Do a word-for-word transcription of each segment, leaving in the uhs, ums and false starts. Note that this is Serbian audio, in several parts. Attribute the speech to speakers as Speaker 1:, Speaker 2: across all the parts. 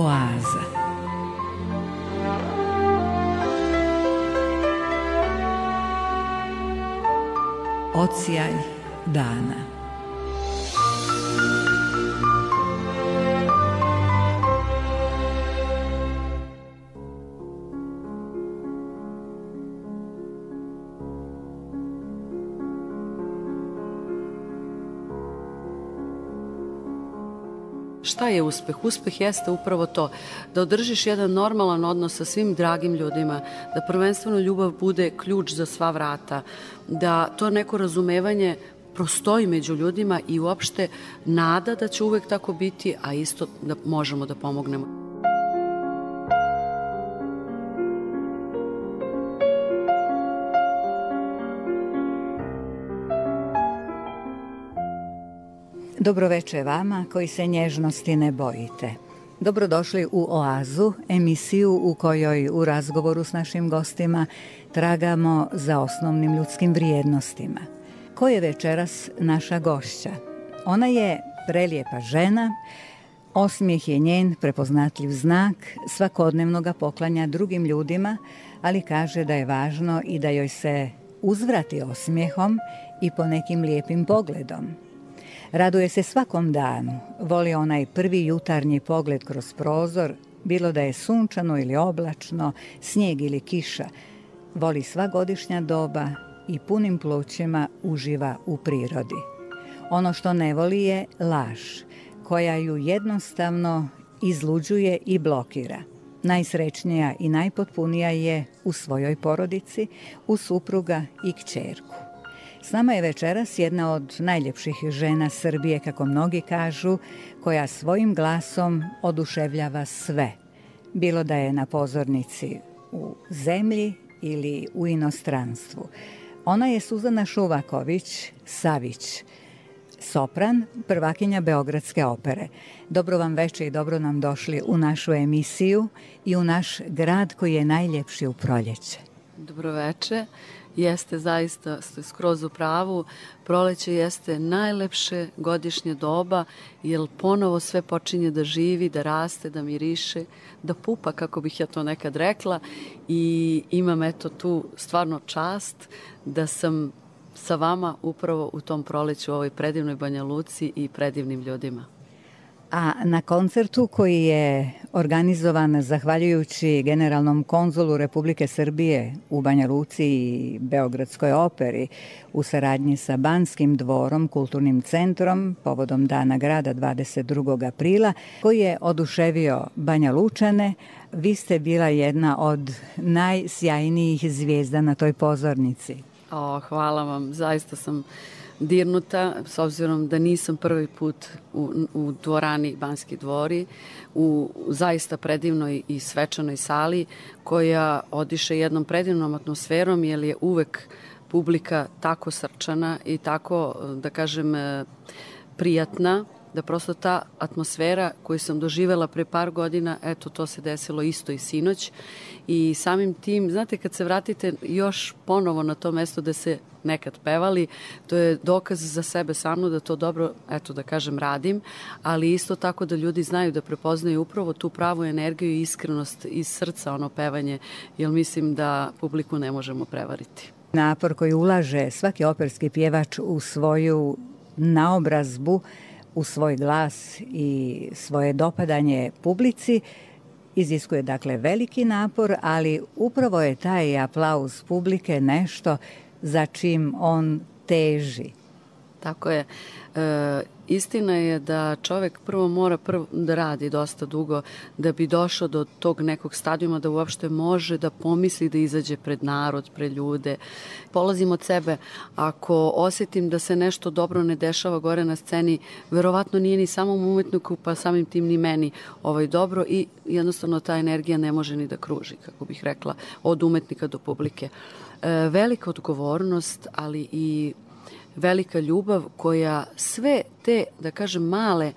Speaker 1: Oaza. Odsjaj dana.
Speaker 2: Šta je uspeh? Uspeh jeste upravo to, da održiš jedan normalan odnos sa svim dragim ljudima, da prvenstveno ljubav bude ključ za sva vrata, da to neko razumevanje prostoji među ljudima i uopšte nada da će uvek tako biti, a isto da možemo da pomognemo.
Speaker 1: Dobroveče vama koji se nježnosti ne bojite. Dobrodošli u Oazu, emisiju u kojoj u razgovoru s našim gostima tragamo za osnovnim ljudskim vrijednostima. Ko je večeras naša gošća? Ona je prelijepa žena, osmijeh je njen prepoznatljiv znak, svakodnevno ga poklanja drugim ljudima, ali kaže da je važno i da joj se uzvrati osmijehom i po nekim lijepim pogledom. Raduje se svakom danu, voli onaj prvi jutarnji pogled kroz prozor, bilo da je sunčano ili oblačno, snijeg ili kiša. Voli sva godišnja doba i punim plućima uživa u prirodi. Ono što ne voli je laž, koja ju jednostavno izluđuje i blokira. Najsrećnija i najpotpunija je u svojoj porodici, u supruga i kćerku. S nama je večeras jedna od najljepših žena Srbije, kako mnogi kažu, koja svojim glasom oduševljava sve. Bilo da je na pozornici u zemlji ili u inostranstvu. Ona je Suzana Šuvaković Savić, sopran, prvakinja Beogradske opere. Dobro vam veče i dobro nam došli u našu emisiju i u naš grad koji je najljepši u proljeće.
Speaker 2: Dobro veče. Jeste, zaista ste skroz u pravu. Proleće jeste najlepše godišnje doba, jer ponovo sve počinje da živi, da raste, da miriše, da pupa, kako bih ja to nekad rekla. I imam eto tu stvarno čast da sam sa vama upravo u tom proleću, u ovoj predivnoj Banja Luci i predivnim ljudima.
Speaker 1: A na koncertu koji je organizovan zahvaljujući generalnom konzulu Republike Srbije u Banja Luci i Beogradskoj operi u saradnji sa Banskim dvorom, kulturnim centrom, povodom Dana grada dvadeset drugog aprila, koji je oduševio Banja Lučane, vi ste bila jedna od najsjajnijih zvijezda na toj pozornici.
Speaker 2: O, hvala vam, zaista sam dirnuta, s obzirom da nisam prvi put u, u dvorani Banski dvori, u zaista predivnoj i svečanoj sali koja odiše jednom predivnom atmosferom, jer je uvek publika tako srčana i tako, da kažem, prijatna, da prosto ta atmosfera koju sam doživela pre par godina, eto to se desilo isto i sinoć. I samim tim, znate, kad se vratite još ponovo na to mesto gde se nekad pevali, to je dokaz za sebe samno da to dobro, eto da kažem, radim, ali isto tako da ljudi znaju da prepoznaju upravo tu pravu energiju i iskrenost iz srca, ono pevanje, jer mislim da publiku ne možemo prevariti.
Speaker 1: Napor koji ulaže svaki operski pjevač u svoju naobrazbu, u svoj glas i svoje dopadanje publici, iziskuje dakle veliki napor, ali upravo je taj aplauz publike nešto za čim on teži.
Speaker 2: Tako je. E, istina je da čovek prvo mora prvo da radi dosta dugo da bi došao do tog nekog stadijuma da uopšte može da pomisli da izađe pred narod, pred ljude. Polazim od sebe. Ako osetim da se nešto dobro ne dešava gore na sceni, verovatno nije ni samom umetniku, pa samim tim ni meni ovaj dobro i jednostavno ta energija ne može ni da kruži, kako bih rekla, od umetnika do publike. E, velika odgovornost, ali i velika ljubav koja sve te, da kažem, male e,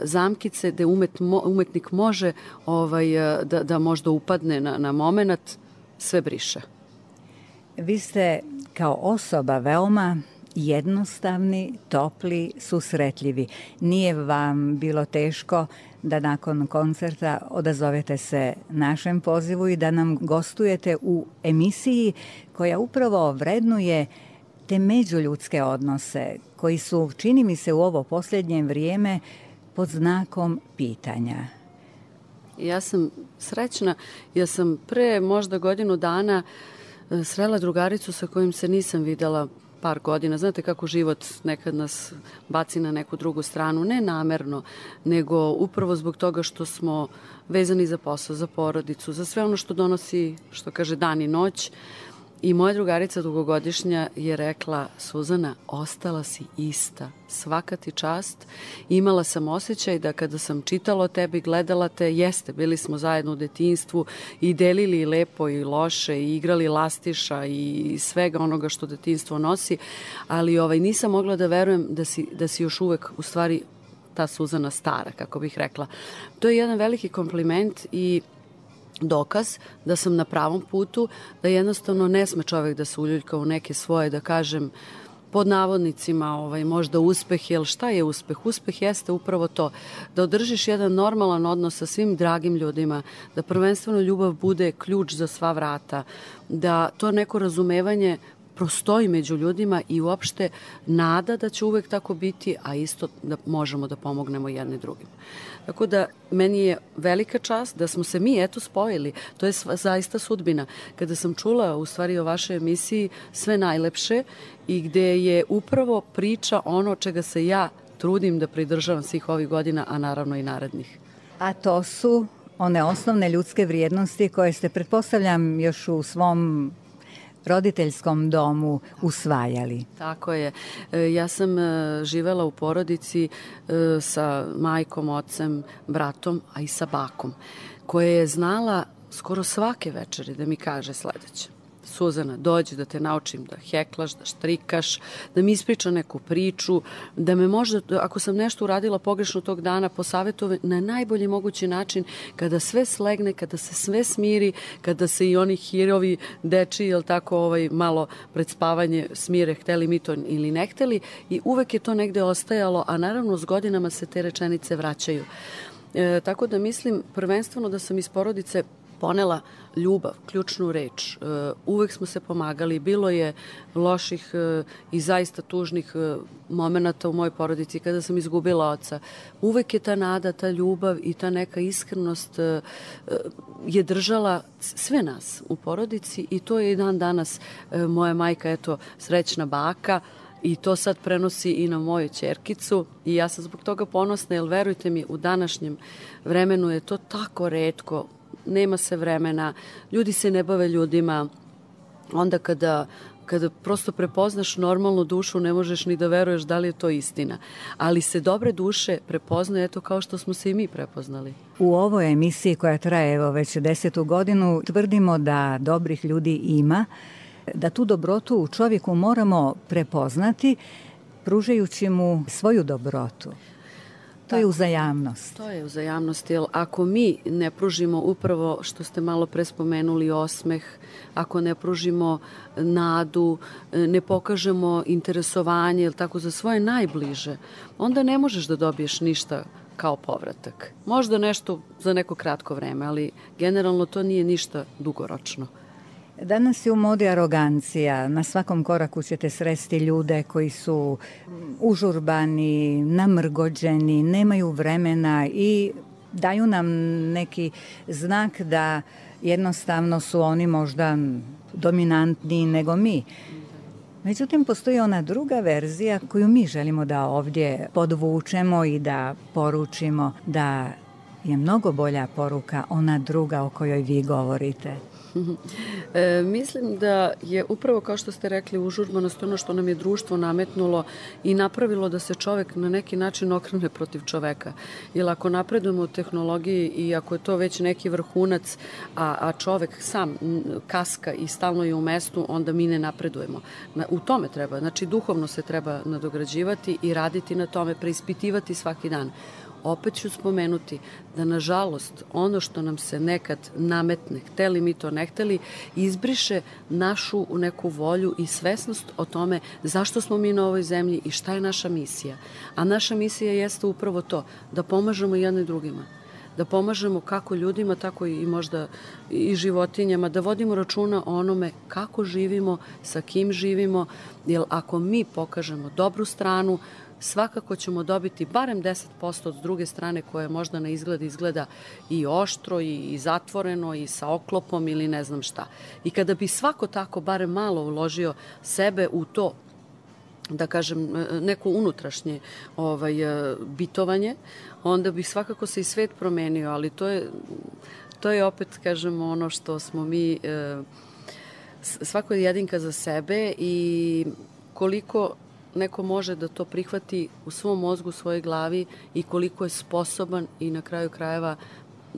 Speaker 2: zamkice gde umet, mo, umetnik može ovaj, da, da možda upadne na, na moment, sve briše.
Speaker 1: Vi ste kao osoba veoma jednostavni, topli, susretljivi. Nije vam bilo teško da nakon koncerta odazovete se našem pozivu i da nam gostujete u emisiji koja upravo vrednuje te međuljudske odnose koji su, čini mi se, u ovo posljednje vrijeme pod znakom pitanja.
Speaker 2: Ja sam srećna, ja sam pre možda godinu dana srela drugaricu sa kojim se nisam videla par godina. Znate kako život nekad nas baci na neku drugu stranu, ne namerno, nego upravo zbog toga što smo vezani za posao, za porodicu, za sve ono što donosi, što kaže, dan i noć. I moja drugarica dugogodišnja je rekla: Suzana, ostala si ista, svaka ti čast. Imala sam osjećaj da kada sam čitala o tebi, gledala te, jeste, bili smo zajedno u detinjstvu i delili i lepo i loše i igrali lastiša i svega onoga što detinjstvo nosi, ali ovaj, nisam mogla da verujem da si, da si još uvek u stvari ta Suzana stara, kako bih rekla. To je jedan veliki kompliment i dokaz da sam na pravom putu, da jednostavno ne sme čovek da se uljuljka u neke svoje, da kažem, pod navodnicima, ovaj, možda uspeh, jer šta je uspeh? Uspeh jeste upravo to, da održiš jedan normalan odnos sa svim dragim ljudima, da prvenstveno ljubav bude ključ za sva vrata, da to neko razumevanje prostoji među ljudima i uopšte nada da će uvek tako biti, a isto da možemo da pomognemo jedni drugim. Tako da meni je velika čast da smo se mi eto spojili. To je zaista sudbina. Kada sam čula u stvari o vašoj emisiji Sve najlepše i gde je upravo priča ono čega se ja trudim da pridržavam svih ovih godina, a naravno i narednih.
Speaker 1: A to su one osnovne ljudske vrijednosti koje ste, pretpostavljam, još u svom roditeljskom domu usvajali.
Speaker 2: Tako je. Ja sam živela u porodici sa majkom, ocem, bratom, a i sa bakom, koja je znala skoro svake večeri da mi kaže sledeće: Suzana, dođi da te naučim da heklaš, da štrikaš, da mi ispriča neku priču, da me možda, ako sam nešto uradila pogrešno tog dana, posavetuje na najbolji mogući način, kada sve slegne, kada se sve smiri, kada se i oni hirovi deči, jel tako, ovaj, malo pred spavanje smire, hteli mi to ili ne hteli, i uvek je to negde ostajalo, a naravno s godinama se te rečenice vraćaju. E, tako da mislim prvenstveno da sam iz porodice ponela ljubav, ključnu reč. Uvek smo se pomagali, bilo je loših i zaista tužnih momenata u mojoj porodici kada sam izgubila oca. Uvek je ta nada, ta ljubav i ta neka iskrenost je držala sve nas u porodici i to je i dan danas moja majka, eto, srećna baka, i to sad prenosi i na moju ćerkicu i ja sam zbog toga ponosna, jer verujte mi, u današnjem vremenu je to tako retko. Nema se vremena, ljudi se ne bave ljudima, onda kada, kada prosto prepoznaš normalnu dušu ne možeš ni da veruješ da li je to istina. Ali se dobre duše prepoznaju, eto kao što smo se i mi prepoznali.
Speaker 1: U ovoj emisiji koja traje evo već desetu godinu tvrdimo da dobrih ljudi ima, da tu dobrotu u čovjeku moramo prepoznati pružajući mu svoju dobrotu. To je uzajamnost.
Speaker 2: To je uzajamnost, jer ako mi ne pružimo upravo što ste malo pre spomenuli, osmeh, ako ne pružimo nadu, ne pokažemo interesovanje, jel tako, za svoje najbliže, onda ne možeš da dobiješ ništa kao povratak. Možda nešto za neko kratko vreme, ali generalno to nije ništa dugoročno.
Speaker 1: Danas je u modi arogancija. Na svakom koraku ćete sresti ljude koji su užurbani, namrgođeni, nemaju vremena i daju nam neki znak da jednostavno su oni možda dominantniji nego mi. Međutim, postoji ona druga verzija koju mi želimo da ovdje podvučemo i da poručimo, da je mnogo bolja poruka ona druga o kojoj vi govorite.
Speaker 2: E, mislim da je upravo, kao što ste rekli, užurbanost ono što nam je društvo nametnulo i napravilo da se čovek na neki način okrene protiv čoveka. Jer ako napredujemo u tehnologiji i ako je to već neki vrhunac, a, a čovek sam kaska i stalno je u mestu, onda mi ne napredujemo. Na, u tome treba, znači duhovno se treba nadograđivati i raditi na tome, preispitivati svaki dan. opet ću spomenuti da, nažalost, ono što nam se nekad nametne, hteli mi to ne hteli, izbriše našu neku volju i svesnost o tome zašto smo mi na ovoj zemlji i šta je naša misija. A naša misija jeste upravo to, da pomažemo jedni drugima. Da pomažemo kako ljudima, tako i možda i životinjama, da vodimo računa o onome kako živimo, sa kim živimo, jer ako mi pokažemo dobru stranu, svakako ćemo dobiti barem deset posto od druge strane koje možda na izgled izgleda i oštro i zatvoreno i sa oklopom ili ne znam šta. I kada bi svako tako barem malo uložio sebe u to, da kažem, neko unutrašnje ovaj, bitovanje, onda bi svakako se i svet promenio, ali to je, to je opet, kažem, ono što smo mi, svako je jedinka za sebe i koliko neko može da to prihvati u svom mozgu, u svojoj glavi i koliko je sposoban i na kraju krajeva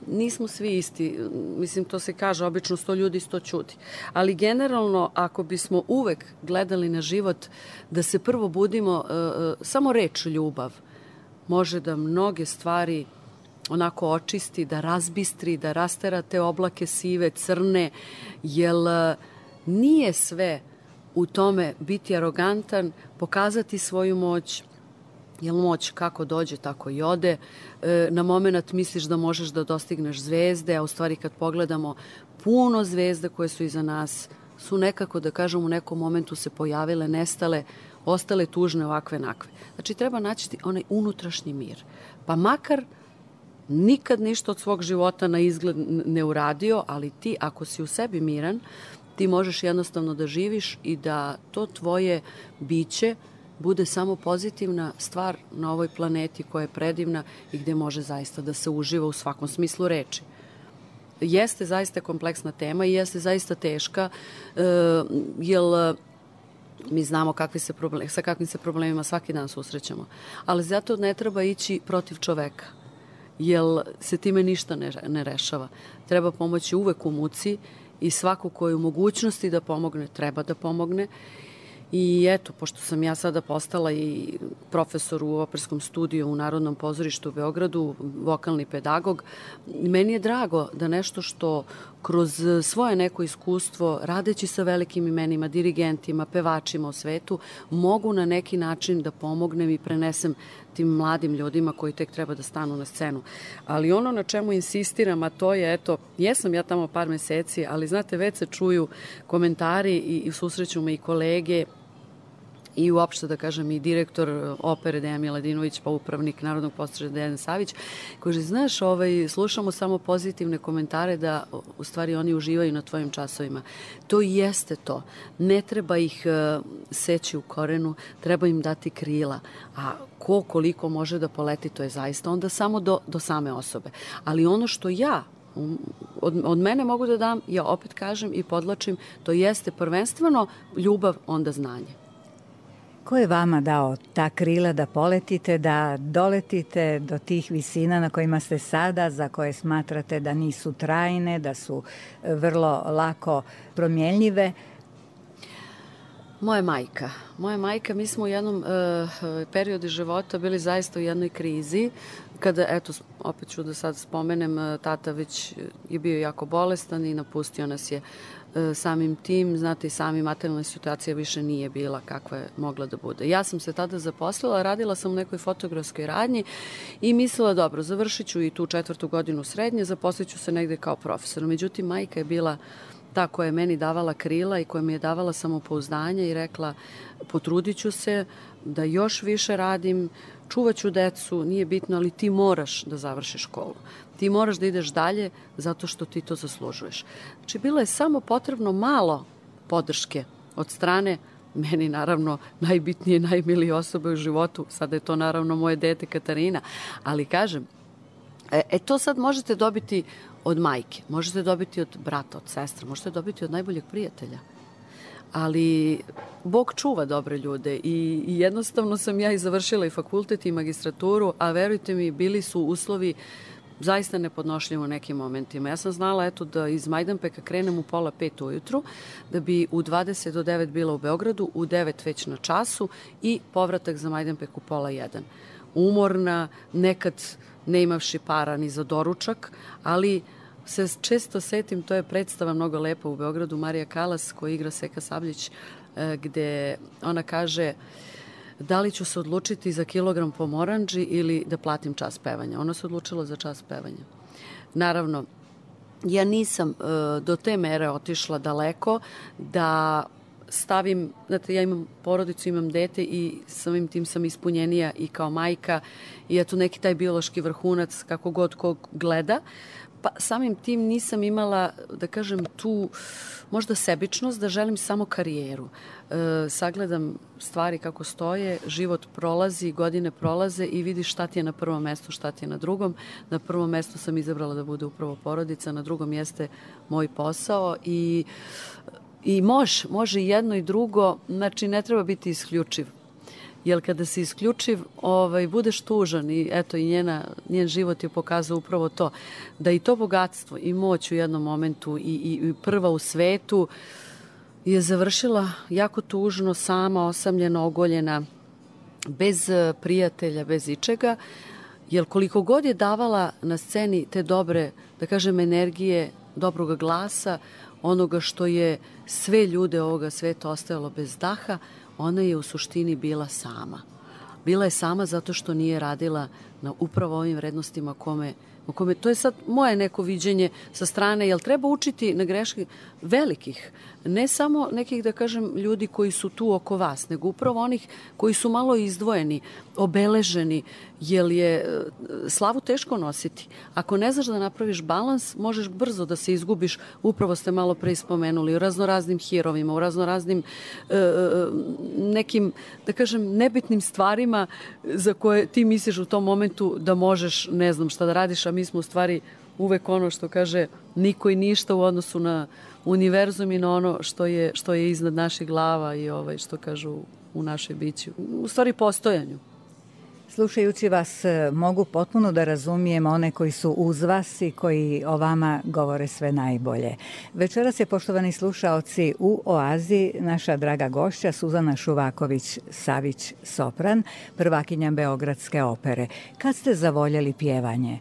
Speaker 2: nismo svi isti. Mislim, to se kaže, obično sto ljudi, sto ćuti. Ali generalno, ako bismo uvek gledali na život, da se prvo budimo, samo reč ljubav može da mnoge stvari onako očisti, da razbistri, da rastera te oblake sive, crne, jer nije sve u tome biti arogantan, pokazati svoju moć, jer moć kako dođe, tako i ode. Na moment misliš da možeš da dostigneš zvezde, a u stvari kad pogledamo, puno zvezda koje su iza nas su nekako, da kažem, u nekom momentu se pojavile, nestale, ostale tužne ovakve nakve. Znači, treba naći onaj unutrašnji mir. Pa makar nikad ništa od svog života na izgled ne uradio, ali ti, ako si u sebi miran, ti možeš jednostavno da živiš i da to tvoje biće bude samo pozitivna stvar na ovoj planeti koja je predivna i gde može zaista da se uživa u svakom smislu reči. Jeste zaista kompleksna tema i jeste zaista teška, jer mi znamo kakvi se problem, sa kakvim se problemima svaki dan susrećemo. Ali zato ne treba ići protiv čoveka, jer se time ništa ne, ne rešava. Treba pomoći uvek u muci i svako ko je u mogućnosti da pomogne, treba da pomogne. I eto, pošto sam ja sada postala i profesor u operskom studiju u Narodnom pozorištu u Beogradu, vokalni pedagog, meni je drago da nešto što kroz svoje neko iskustvo, radeći sa velikim imenima, dirigentima, pevačima u svetu, mogu na neki način da pomognem i prenesem tim mladim ljudima koji tek treba da stanu na scenu. Ali ono na čemu insistiram, a to je, eto, jesam ja tamo par meseci, ali znate, već se čuju komentari i, i susreću me i kolege i uopšte, da kažem, i direktor opere Dejan Miladinović, pa upravnik Narodnog pozorišta Dejan Savić, koji, znaš, ovaj, slušamo samo pozitivne komentare da u stvari oni uživaju na tvojim časovima. To i jeste to. Ne treba ih uh, seći u korenu, treba im dati krila. A ko koliko može da poleti, to je zaista onda samo do, do same osobe. Ali ono što ja Od, od mene mogu da dam, ja opet kažem i podlačim, to jeste prvenstveno ljubav, onda znanje.
Speaker 1: Ko je vama dao ta krila da poletite, da doletite do tih visina na kojima ste sada, za koje smatrate da nisu trajne, da su vrlo lako promjenljive?
Speaker 2: Moja majka. Moja majka, mi smo u jednom uh, periodu života bili zaista u jednoj krizi, kada, eto, opet ću da sad spomenem, tata već je bio jako bolestan i napustio nas je samim tim, znate i sami, materijalna situacija više nije bila kakva je mogla da bude. Ja sam se tada zaposlila, radila sam u nekoj fotografskoj radnji i mislila, dobro, završit ću i tu četvrtu godinu srednje, zaposlit ću se negde kao profesor. Međutim, majka je bila ta koja je meni davala krila i koja mi je davala samopouzdanje i rekla, potrudit ću se da još više radim, čuvat ću decu, nije bitno, ali ti moraš da završiš školu. Ti moraš da ideš dalje zato što ti to zaslužuješ. Znači, bilo je samo potrebno malo podrške od strane meni, naravno, najbitnije, najmilije osobe u životu. Sada je to, naravno, moje dete Katarina. Ali, kažem, e, e to sad možete dobiti od majke, možete dobiti od brata, od sestra, možete dobiti od najboljeg prijatelja. Ali Bog čuva dobre ljude i, i jednostavno sam ja i završila i fakultet i magistraturu, a verujte mi, bili su uslovi zaista nepodnošljivo u nekim momentima. Ja sam znala, eto, da iz Majdanpeka krenem u pola pet ujutru, da bi u dvadeset do devet bila u Beogradu, u devet već na času i povratak za Majdanpek u pola jedan. umorna, nekad ne imavši para ni za doručak, ali se često setim, to je predstava mnogo lepa u Beogradu, Marija Kalas koja igra Seka Sabljić, gde ona kaže da li ću se odlučiti za kilogram pomoranđi ili da platim čas pevanja. Ona se odlučila za čas pevanja. Naravno, ja nisam uh, do te mere otišla daleko da stavim, znate, ja imam porodicu, imam dete i samim tim sam ispunjenija i kao majka i eto neki taj biološki vrhunac kako god ko gleda, pa samim tim nisam imala, da kažem, tu možda sebičnost da želim samo karijeru. E, sagledam stvari kako stoje, život prolazi, godine prolaze i vidiš šta ti je na prvom mestu, šta ti je na drugom. Na prvom mestu sam izabrala da bude upravo porodica, na drugom jeste moj posao i, i može, može i jedno i drugo, znači ne treba biti isključiv. Jer kada si isključiv, ovaj, budeš tužan i eto i njena, njen život je pokazao upravo to, da i to bogatstvo i moć u jednom momentu i, i, i prva u svetu je završila jako tužno, sama, osamljena, ogoljena, bez prijatelja, bez ičega, jer koliko god je davala na sceni te dobre, da kažem, energije, dobroga glasa, onoga što je sve ljude ovoga sveta ostajalo bez daha, ona je u suštini bila sama. Bila je sama zato što nije radila na upravo ovim vrednostima kome, o kome, to je sad moje neko viđenje sa strane, jel treba učiti na greške velikih, ne samo nekih, da kažem, ljudi koji su tu oko vas, nego upravo onih koji su malo izdvojeni, obeleženi, jer je slavu teško nositi. Ako ne znaš da napraviš balans, možeš brzo da se izgubiš, upravo ste malo pre spomenuli, u raznoraznim hirovima, u raznoraznim e, nekim, da kažem, nebitnim stvarima za koje ti misliš u tom momentu da možeš, ne znam šta da radiš, a mi smo u stvari uvek ono što kaže niko i ništa u odnosu na univerzum i na ono što je, što je iznad naših glava i ovaj, što kažu u našoj biću. U stvari postojanju.
Speaker 1: Slušajući vas mogu potpuno da razumijem one koji su uz vas i koji o vama govore sve najbolje. Večeras je, poštovani slušaoci, u Oazi naša draga gošća Suzana Šuvaković-Savić, sopran, prvakinja Beogradske opere. Kad ste zavoljeli pjevanje?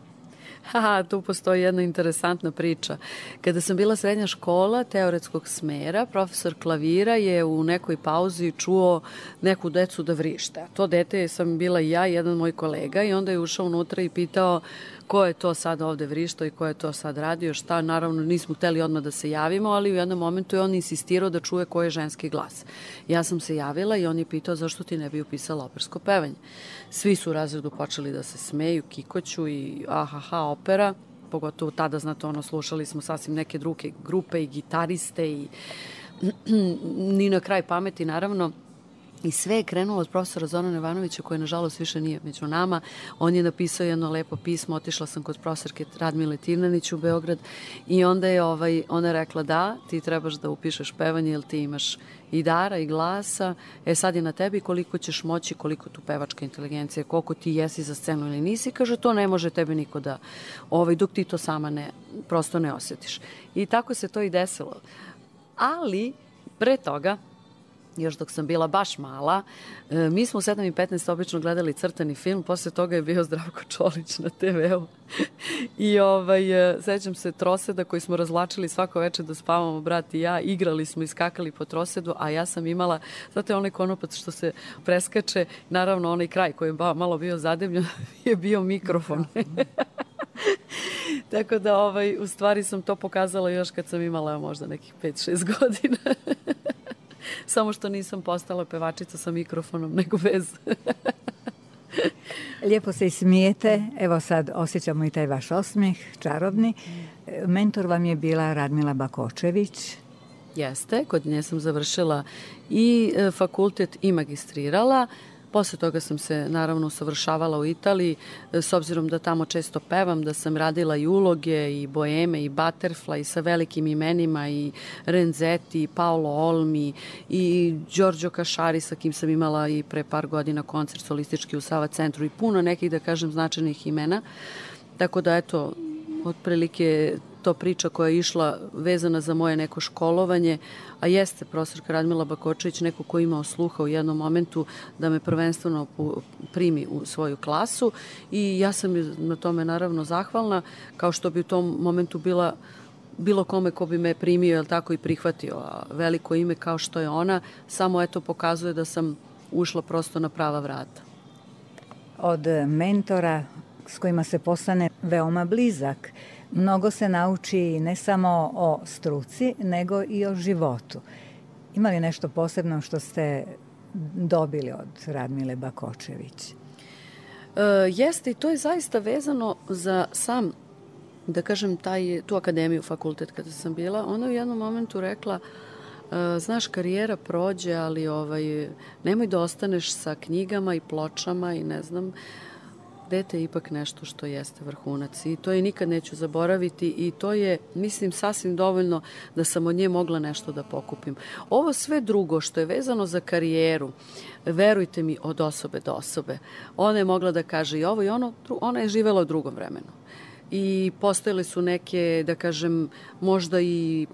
Speaker 2: Haha, tu postoji jedna interesantna priča. Kada sam bila srednja škola teoretskog smera, profesor klavira je u nekoj pauzi čuo neku decu da vrište. To dete sam bila i ja i jedan moj kolega i onda je ušao unutra i pitao ko je to sad ovde vrištao i ko je to sad radio, šta. Naravno nismo hteli odmah da se javimo, ali u jednom momentu je on insistirao da čuje ko je ženski glas. Ja sam se javila i on je pitao zašto ti ne bi upisala opersko pevanje. Svi su u razredu počeli da se smeju, kikoću i ahaha opera, pogotovo tada, znate, ono, slušali smo sasvim neke druge grupe i gitariste i ni na kraj pameti, naravno. I sve je krenulo od profesora Zorana Ivanovića, koji nažalost više nije među nama. On je napisao jedno lepo pismo, otišla sam kod profesorke Radmile Tirnanić u Beograd i onda je ovaj, ona rekla da, ti trebaš da upišeš pevanje jer ti imaš i dara i glasa, e sad je na tebi koliko ćeš moći, koliko tu pevačka inteligencija, koliko ti jesi za scenu ili nisi, kaže to ne može tebi niko da, ovaj, dok ti to sama ne, prosto ne osjetiš. I tako se to i desilo. Ali, pre toga, još dok sam bila baš mala, mi smo u sedam i petnaest obično gledali crtani film, posle toga je bio Zdravko Čolić na te veu. I ovaj, sećam se troseda koji smo razvlačili svako večer da spavamo, brat i ja, igrali smo i skakali po trosedu, a ja sam imala, znate, onaj konopac što se preskače, naravno onaj kraj koji je malo bio zademljen je bio mikrofon. Tako da, ovaj, u stvari sam to pokazala još kad sam imala možda nekih pet šest godina. Samo što nisam postala pevačica sa mikrofonom, nego bez.
Speaker 1: Lijepo se i smijete. Evo sad osjećamo i taj vaš osmijeh, čarobni. Mentor vam je bila Radmila Bakočević.
Speaker 2: Jeste, kod nje sam završila i fakultet i magistrirala. Posle toga sam se naravno usavršavala u Italiji, s obzirom da tamo često pevam, da sam radila i uloge, i boeme, i butterfly, sa velikim imenima, i Renzetti, i Paolo Olmi, i Giorgio Casciari, sa kim sam imala i pre par godina koncert solistički u Sava centru, i puno nekih, da kažem, značajnih imena. Tako da, eto, otprilike to priča koja je išla vezana za moje neko školovanje, a jeste profesorka Radmila Bakočević neko ko imao sluha u jednom momentu da me prvenstveno primi u svoju klasu i ja sam na tome naravno zahvalna, kao što bi u tom momentu bila bilo kome ko bi me primio, jel tako, i prihvatio. A veliko ime kao što je ona, samo eto pokazuje da sam ušla prosto na prava vrata.
Speaker 1: Od mentora s kojima se postane veoma blizak, mnogo se nauči ne samo o struci, nego i o životu. Ima li nešto posebno što ste dobili od Radmile Bakočević?
Speaker 2: E, jeste, i to je zaista vezano za sam, da kažem, taj, tu akademiju, fakultet kada sam bila. Ona u jednom momentu rekla, e, znaš, karijera prođe, ali ovaj, nemoj da ostaneš sa knjigama i pločama i ne znam, dete je ipak nešto što jeste vrhunac i to je nikad neću zaboraviti i to je, mislim, sasvim dovoljno da sam od nje mogla nešto da pokupim. Ovo sve drugo što je vezano za karijeru, verujte mi, od osobe do osobe. Ona je mogla da kaže i ovo i ono, ona je živela u drugom vremenu. I postojale su neke, da kažem, možda i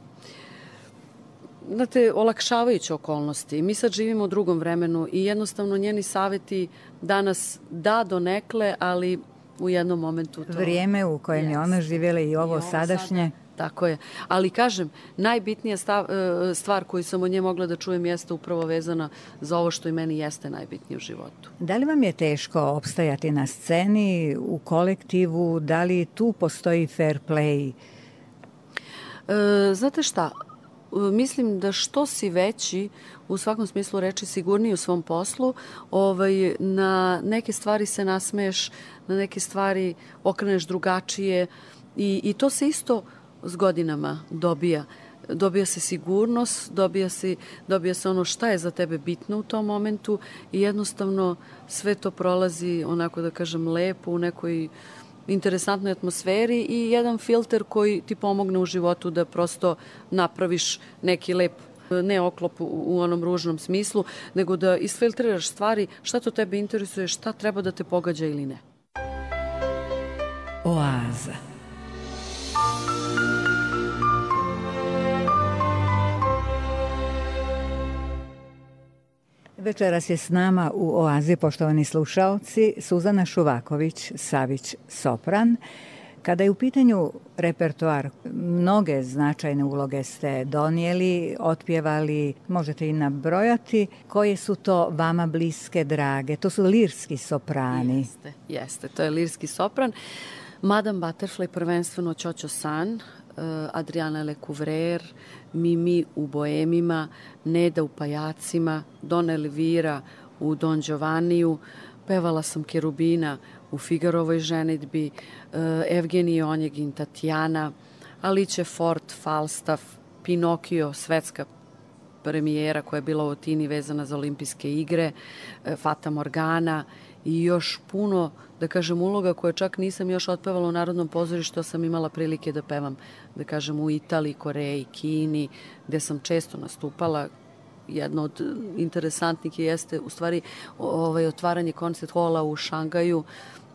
Speaker 2: znate, olakšavajuće okolnosti. Mi sad živimo u drugom vremenu i jednostavno njeni saveti danas da donekle, ali u jednom momentu to...
Speaker 1: Vrijeme u kojem yes. je ona živjela i ovo, I ovo sadašnje.
Speaker 2: Sada, tako je. Ali kažem, najbitnija stav, stvar koju sam od nje mogla da čujem jeste upravo vezana za ovo što i meni jeste najbitnije u životu.
Speaker 1: Da li vam je teško opstajati na sceni, u kolektivu? Da li tu postoji fair play?
Speaker 2: E, znate šta? Mislim da što si veći, u svakom smislu reči, sigurniji u svom poslu, ovaj, na neke stvari se nasmeješ, na neke stvari okreneš drugačije i, i to se isto s godinama dobija. Dobija se sigurnost, dobija se, dobija se ono šta je za tebe bitno u tom momentu i jednostavno sve to prolazi, onako da kažem, lepo u nekoj interesantnoj atmosferi i jedan filter koji ti pomogne u životu da prosto napraviš neki lep, ne oklop u onom ružnom smislu, nego da isfiltriraš stvari, šta to tebe interesuje, šta treba da te pogađa ili ne.
Speaker 1: Oaza. Večeras je s nama u Oazi, poštovani slušaoci, Suzana Šuvaković-Savić, sopran. Kada je u pitanju repertoar, mnoge značajne uloge ste donijeli, otpjevali, možete i nabrojati. Koje su to vama bliske, drage? To su lirski soprani.
Speaker 2: Jeste, jeste, to je lirski sopran. Madame Butterfly, prvenstveno Ćoćo San, Adriana Lecouvreur, Mimi u Boemima, Neda u Pajacima, Don Elvira u Don Giovanniju, pevala sam Kerubina u Figarovoj ženidbi, Evgenije Onjegin, Tatjana, Alice Fort, Falstaff, Pinokio, svetska premijera koja je bila u Atini vezana za olimpijske igre, Fata Morgana i još puno, da kažem, uloga koje čak nisam još otpevala u Narodnom pozorištu, sam imala prilike da pevam, da kažem, u Italiji, Koreji, Kini, gde sam često nastupala. Jedno od interesantnih jeste u stvari ovaj, otvaranje koncert hola u Šangaju,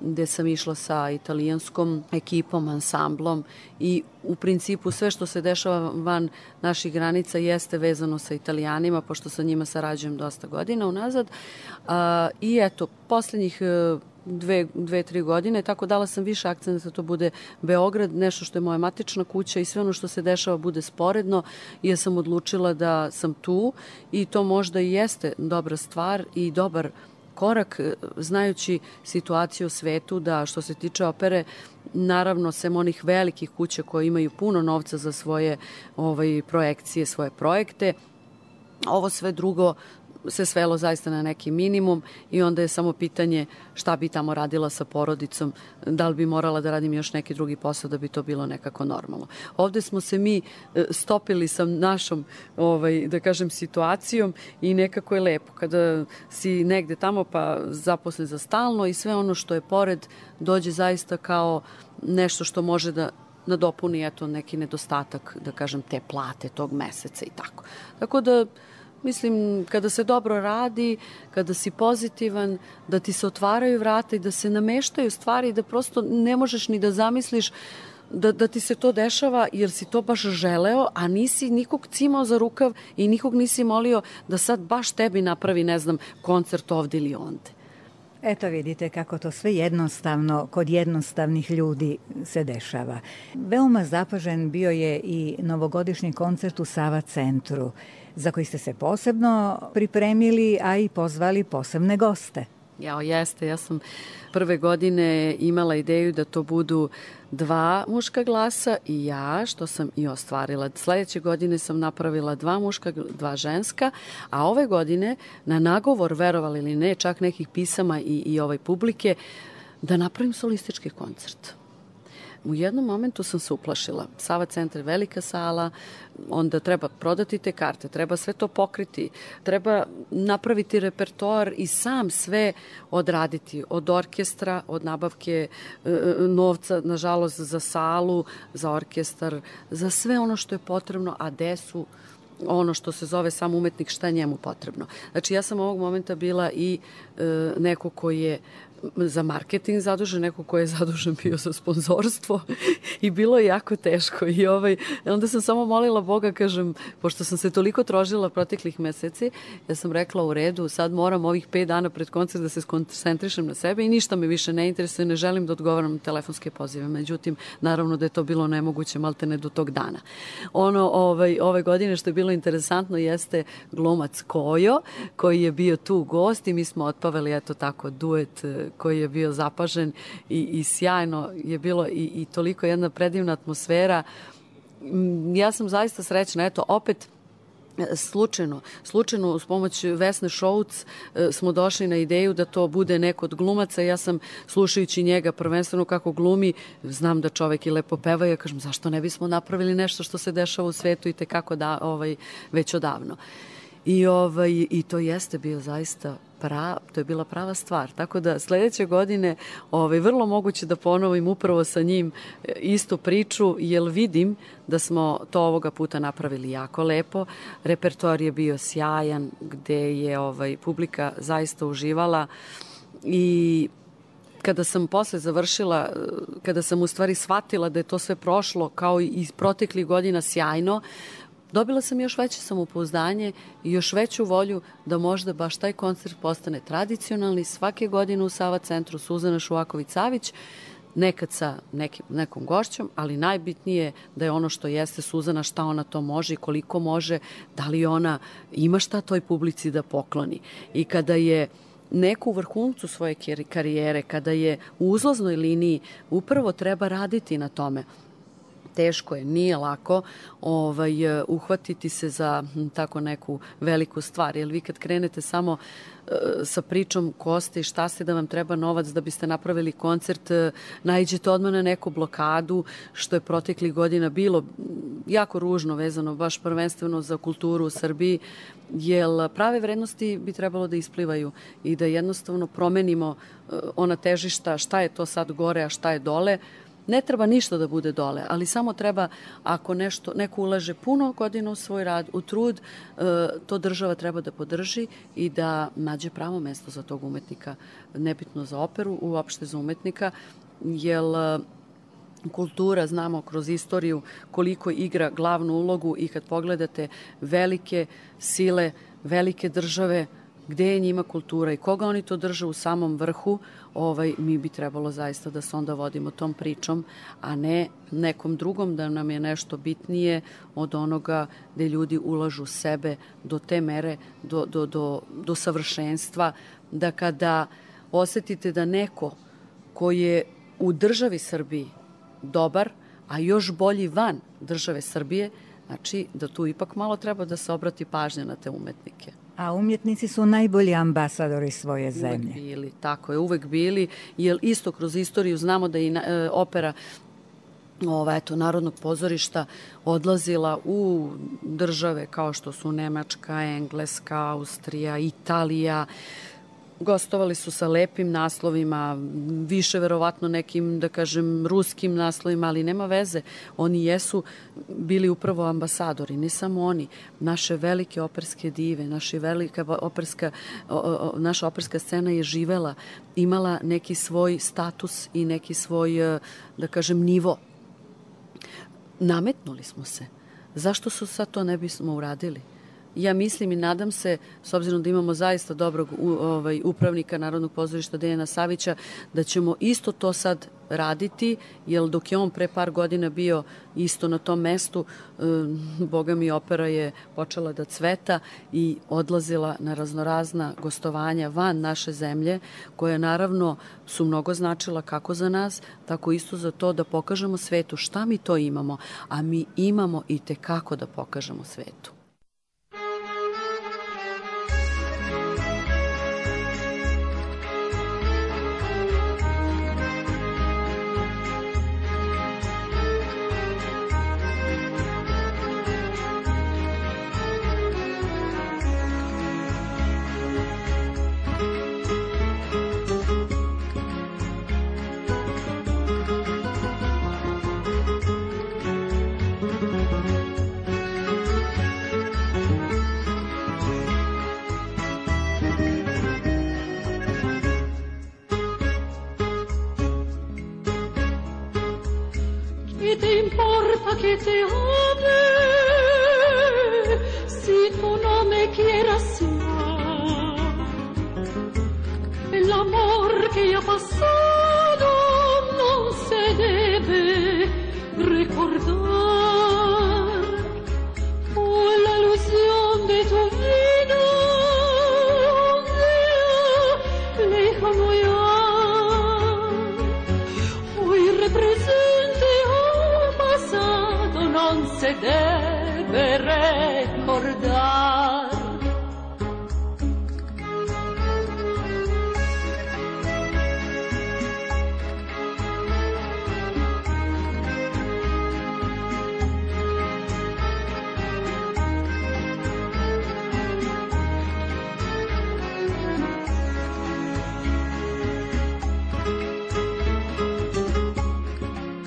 Speaker 2: gde sam išla sa italijanskom ekipom, ansamblom i u principu sve što se dešava van naših granica jeste vezano sa Italijanima, pošto sa njima sarađujem dosta godina unazad. A, I eto, posljednjih dve, dve, tri godine, tako dala sam više akcenta da to bude Beograd, nešto što je moja matična kuća i sve ono što se dešava bude sporedno, jer sam odlučila da sam tu i to možda i jeste dobra stvar i dobar korak, znajući situaciju u svetu, da što se tiče opere, naravno, sem onih velikih kuća koje imaju puno novca za svoje ovaj, projekcije, svoje projekte, ovo sve drugo se svelo zaista na neki minimum i onda je samo pitanje šta bi tamo radila sa porodicom, da li bi morala da radim još neki drugi posao da bi to bilo nekako normalno. Ovde smo se mi stopili sa našom, ovaj, da kažem, situacijom i nekako je lepo kada si negde tamo pa zaposlen za stalno i sve ono što je pored dođe zaista kao nešto što može da nadopuni eto neki nedostatak, da kažem, te plate tog meseca i tako. Tako da mislim, kada se dobro radi, kada si pozitivan, da ti se otvaraju vrata i da se nameštaju stvari, da prosto ne možeš ni da zamisliš da, da ti se to dešava jer si to baš želeo, a nisi nikog cimao za rukav i nikog nisi molio da sad baš tebi napravi, ne znam, koncert ovde ili onde.
Speaker 1: Eto vidite kako to sve jednostavno kod jednostavnih ljudi se dešava. Veoma zapažen bio je i novogodišnji koncert u Sava centru, za koji ste se posebno pripremili, a i pozvali posebne goste.
Speaker 2: Jao, jeste. Ja sam prve godine imala ideju da to budu dva muška glasa i ja, što sam i ostvarila. Sledeće godine sam napravila dva muška, dva ženska, a ove godine na nagovor, verovali ili ne, čak nekih pisama i, i ovaj publike, da napravim solistički koncert. U jednom momentu sam se uplašila. Sava centar je velika sala, onda treba prodati te karte, treba sve to pokriti, treba napraviti repertoar i sam sve odraditi. Od orkestra, od nabavke e, novca, nažalost, za salu, za orkestar, za sve ono što je potrebno, a gde su ono što se zove sam umetnik, šta je njemu potrebno. Znači, ja sam ovog momenta bila i e, neko koji je za marketing zadužen, neko ko je zadužen bio za sponzorstvo i bilo je jako teško i ovaj, onda sam samo molila Boga, kažem, pošto sam se toliko trožila proteklih meseci, ja sam rekla u redu, sad moram ovih pet dana pred koncert da se skoncentrišem na sebe i ništa me više ne interesuje, ne želim da odgovaram na telefonske pozive, međutim, naravno da je to bilo nemoguće maltene do tog dana. Ono ovaj, ove godine što je bilo interesantno jeste glumac Kojo, koji je bio tu gost i mi smo otpavali eto tako duet koji je bio zapažen i, i sjajno je bilo i, i toliko jedna predivna atmosfera. Ja sam zaista srećna. Eto, opet slučajno, slučajno uz pomoć Vesne Šouc smo došli na ideju da to bude neko od glumaca. Ja sam, slušajući njega prvenstveno kako glumi, znam da čovek i lepo peva i ja kažem zašto ne bismo napravili nešto što se dešava u svetu i tekako da, ovaj, već odavno. I, ovaj, I to jeste bio zaista pra, to je bila prava stvar. Tako da sledeće godine ovaj, vrlo moguće da ponovim upravo sa njim istu priču, jer vidim da smo to ovoga puta napravili jako lepo. Repertoar je bio sjajan, gde je ovaj, publika zaista uživala i kada sam posle završila, kada sam u stvari shvatila da je to sve prošlo kao i iz proteklih godina sjajno, dobila sam još veće samopouzdanje i još veću volju da možda baš taj koncert postane tradicionalni svake godine u Sava centru. Suzana Šuvaković-Savić, nekad sa nekim, nekom gošćom, ali najbitnije da je ono što jeste Suzana, šta ona to može i koliko može, da li ona ima šta toj publici da pokloni. I kada je neko u vrhuncu svoje karijere, kada je u uzlaznoj liniji, upravo treba raditi na tome. Teško je, nije lako ovaj, uhvatiti se za tako neku veliku stvar. Jer vi kad krenete samo uh, sa pričom ko ste i šta ste da vam treba novac da biste napravili koncert, uh, naiđete odmah na neku blokadu, što je proteklih godina bilo jako ružno vezano baš prvenstveno za kulturu u Srbiji, jer prave vrednosti bi trebalo da isplivaju i da jednostavno promenimo uh, ona težišta, šta je to sad gore, a šta je dole. Ne treba ništa da bude dole, ali samo treba, ako nešto, neko ulaže puno godina u svoj rad, u trud, to država treba da podrži i da nađe pravo mesto za tog umetnika. Nebitno za operu, uopšte za umetnika, jer kultura, znamo kroz istoriju koliko igra glavnu ulogu i kad pogledate velike sile, velike države, gde je njima kultura i koga oni to drže u samom vrhu, ovaj, mi bi trebalo zaista da se onda vodimo tom pričom, a ne nekom drugom da nam je nešto bitnije od onoga gde ljudi ulažu sebe do te mere, do, do, do, do savršenstva, da kada osetite da neko koji je u državi Srbiji dobar, a još bolji van države Srbije, znači da tu ipak malo treba da se obrati pažnja na te umetnike.
Speaker 1: A umjetnici su najbolji ambasadori svoje zemlje.
Speaker 2: Uvek bili, tako je, uvek bili, jer isto kroz istoriju znamo da je e, opera ova, eto, Narodnog pozorišta odlazila u države kao što su Nemačka, Engleska, Austrija, Italija. Gostovali su sa lepim naslovima, više verovatno nekim, da kažem, ruskim naslovima, ali nema veze. Oni jesu bili upravo ambasadori, ne samo oni. Naše velike operske dive, naša velika operska, o, o, naša operska scena je živela, imala neki svoj status i neki svoj, da kažem, nivo. nametnuli smo se. Zašto su sad to ne bismo uradili? Ja mislim i nadam se, s obzirom da imamo zaista dobrog ovaj, upravnika Narodnog pozorišta Dejana Savića, da ćemo isto to sad raditi, jer dok je on pre par godina bio isto na tom mestu, eh, boga mi, opera je počela da cveta i odlazila na raznorazna gostovanja van naše zemlje, koja naravno su mnogo značila kako za nas, tako isto za to da pokažemo svetu šta mi to imamo, a mi imamo i tekako da pokažemo svetu.
Speaker 3: Que te ame, si tú no me quieras ya, el amor que ya ha pasado no se debe recordar, por la ilusión de tu vida, lejano ya, hoy represente non se deve recordar.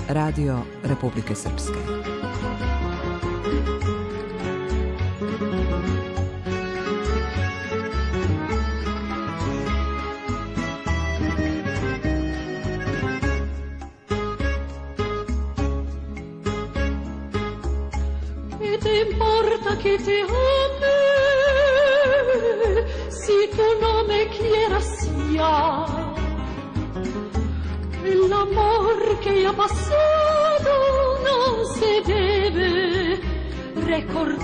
Speaker 4: Radio Republike Srpske.
Speaker 3: ¿Qué te importa que te ame si tú no me quieras ya? El amor que ya ha pasado no se debe recordar,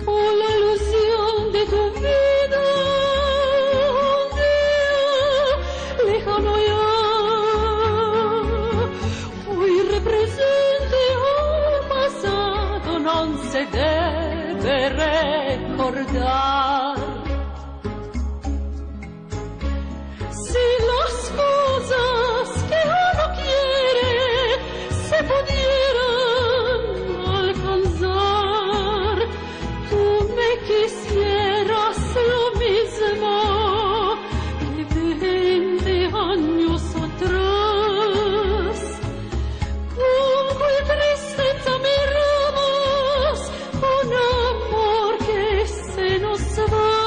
Speaker 3: por la ilusión de tu vida, lejano ya, hoy represente el pasado, no se debe recordar. Cosas que uno quiere se pudieran alcanzar, tú me quisieras lo mismo que veinte años atrás. Con cuál tristeza miramos un amor que se nos va.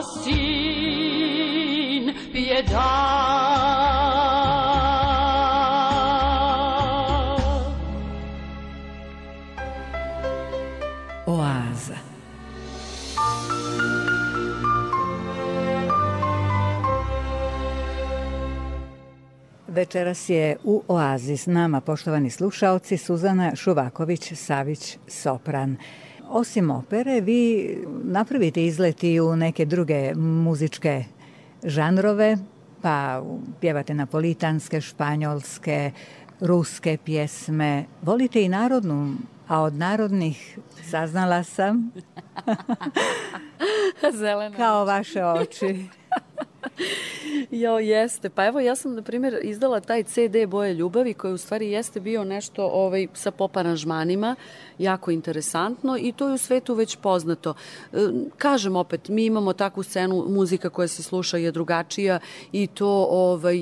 Speaker 3: sin pietà.
Speaker 1: Oaza. Večeras je u Oazi s nama, poštovani slušaoci, Suzana Šuvaković-Savić, sopran. Osim opere, vi napravite izleti u neke druge muzičke žanrove, pa pjevate napolitanske, španjolske, ruske pjesme. Volite i narodnu, a od narodnih saznala sam
Speaker 2: Zelena.
Speaker 1: kao vaše oči.
Speaker 2: Jo, jeste. Pa evo, ja sam, na primjer, izdala taj ce de Boje ljubavi, koji u stvari jeste bio nešto ovaj, sa pop aranžmanima, jako interesantno i to je u svetu već poznato. E, kažem opet, mi imamo takvu scenu, muzika koja se sluša je drugačija i to ovaj,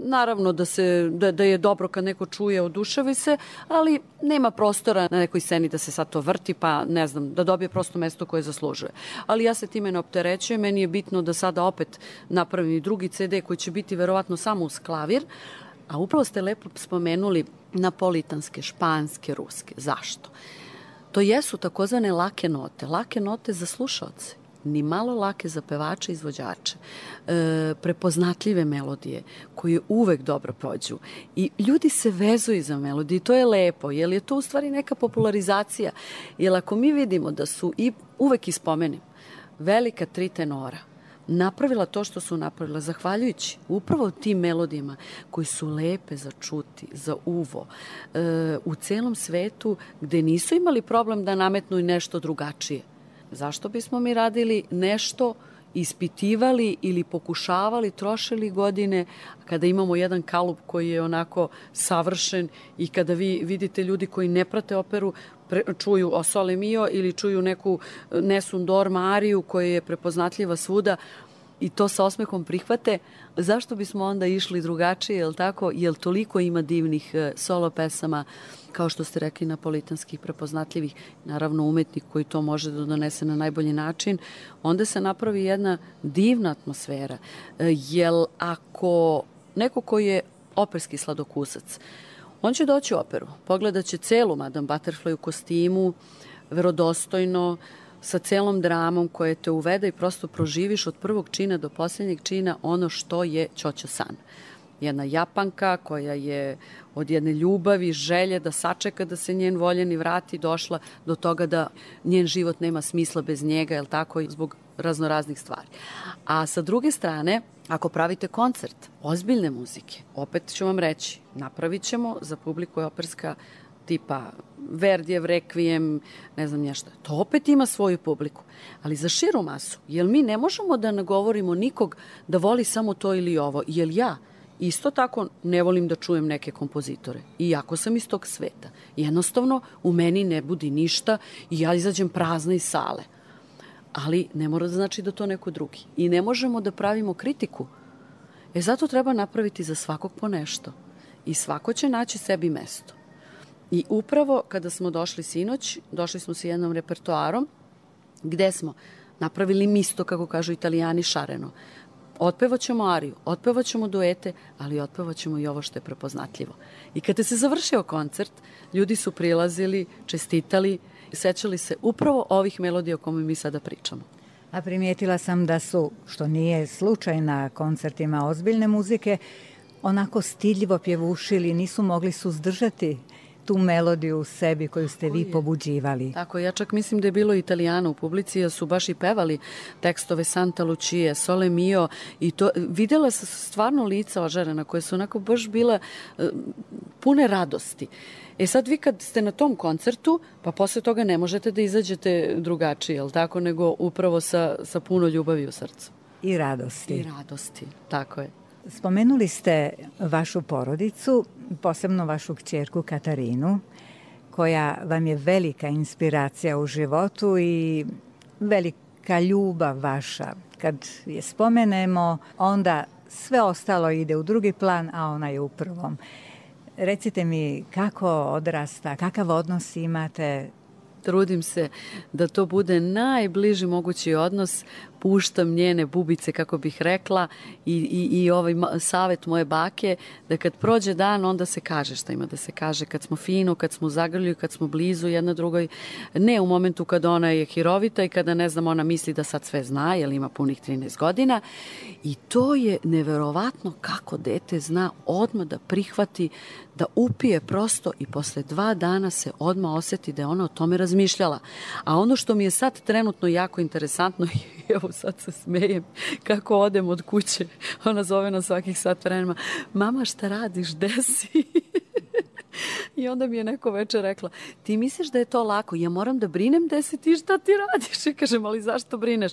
Speaker 2: naravno da, se, da, da je dobro kad neko čuje, oduševi se, ali nema prostora na nekoj sceni da se sad to vrti, pa ne znam, da dobije prosto mesto koje zaslužuje. Ali ja se time ne opterećujem, meni je bitno da sada opet napravim i drugi ce de koji će biti verovatno samo uz klavir, a upravo ste lepo spomenuli napolitanske, španske, ruske. Zašto? To jesu takozvane lake note, lake note za slušaoce. Ni malo lake za pevače i izvođače, e, prepoznatljive melodije koje uvek dobro prođu i ljudi se vezuju za melodiju i to je lepo, jer je to u stvari neka popularizacija, jer ako mi vidimo da su i uvek ispomenim velika tri tenora napravila to što su napravila zahvaljujući upravo tim melodijama koji su lepe za čuti, za uvo, e, u celom svetu gde nisu imali problem da nametnu i nešto drugačije. Zašto bismo mi radili nešto, ispitivali ili pokušavali, trošili godine kada imamo jedan kalup koji je onako savršen i kada vi vidite ljudi koji ne prate operu, pre, čuju O Sole Mio ili čuju neku Nessun Dorma ariju koja je prepoznatljiva svuda i to sa osmehom prihvate, zašto bismo onda išli drugačije, jel tako? Jel toliko ima divnih solo pesama, kao što ste rekli, napolitanskih, prepoznatljivih, naravno umetnik koji to može da donese na najbolji način, onda se napravi jedna divna atmosfera. Jel ako neko koji je operski sladokusac, on će doći u operu, pogledat će celu Madame Butterfly u kostimu, verodostojno, sa celom dramom koja te uvede i prosto proživiš od prvog čina do posljednjeg čina ono što je Ćoćo San. Jedna Japanka koja je od jedne ljubavi, želje da sačeka da se njen voljeni vrati, došla do toga da njen život nema smisla bez njega, jel tako, zbog raznoraznih stvari. A sa druge strane, ako pravite koncert ozbiljne muzike, opet ću vam reći, napravit ćemo za publiku je operska tipa Verdijev Rekvijem, ne znam nešto. To opet ima svoju publiku. Ali za širu masu, jel mi ne možemo da nagovorimo nikog da voli samo to ili ovo? Jel ja isto tako ne volim da čujem neke kompozitore, iako sam iz tog sveta. Jednostavno, u meni ne budi ništa i ja izađem prazna iz sale. Ali ne mora da znači da to neko drugi. I ne možemo da pravimo kritiku. E zato treba napraviti za svakog po nešto. I svako će naći sebi mesto. I upravo kada smo došli sinoć, došli smo sa jednom repertoarom gde smo napravili misto, kako kažu Italijani, šareno. Otpevaćemo ariju, otpevaćemo duete, ali otpevaćemo i ovo što je prepoznatljivo. I kada se završio koncert, ljudi su prilazili, čestitali, sećali se upravo ovih melodija o kome mi sada pričamo.
Speaker 1: A primijetila sam da su, što nije slučaj na koncertima ozbiljne muzike, onako stidljivo pjevušili, nisu mogli suzdržati tu melodiju u sebi koju ste vi pobuđivali.
Speaker 2: Tako, ja čak mislim da je bilo Italijana u publici, jer su baš i pevali tekstove Santa Lucia, Sole Mio i to, vidjela se stvarno lica ožarena koje su onako baš bila uh, pune radosti. E sad vi kad ste na tom koncertu, pa posle toga ne možete da izađete drugačije, jel tako, nego upravo sa, sa puno ljubavi u srcu.
Speaker 1: I radosti.
Speaker 2: I radosti, tako je.
Speaker 1: Spomenuli ste vašu porodicu, posebno vašu kćerku Katarinu, koja vam je velika inspiracija u životu i velika ljubav vaša. Kad je spomenemo, onda sve ostalo ide u drugi plan, a ona je u prvom. Recite mi kako odrasta, kakav odnos imate?
Speaker 2: Trudim se da to bude najbliži mogući odnos, puštam njene bubice, kako bih rekla, i, i, i ovaj savjet moje bake, da kad prođe dan, onda se kaže šta ima da se kaže, kad smo fino, kad smo u zagrlju, kad smo blizu jedna drugoj, ne u momentu kada ona je hirovita i kada, ne znam, ona misli da sad sve zna, jer ima punih trinaest godina. I to je neverovatno kako dete zna odmah da prihvati, da upije prosto i posle dva dana se odmah osjeti da je ona o tome razmišljala. A ono što mi je sad trenutno jako interesantno, i evo sad se smejem, kako odem od kuće, ona zove na svakih sat vremena, mama šta radiš, gde si? I onda mi je neko večer rekla, ti misliš da je to lako, ja moram da brinem gde si ti, šta ti radiš? I kažem, ali zašto brineš?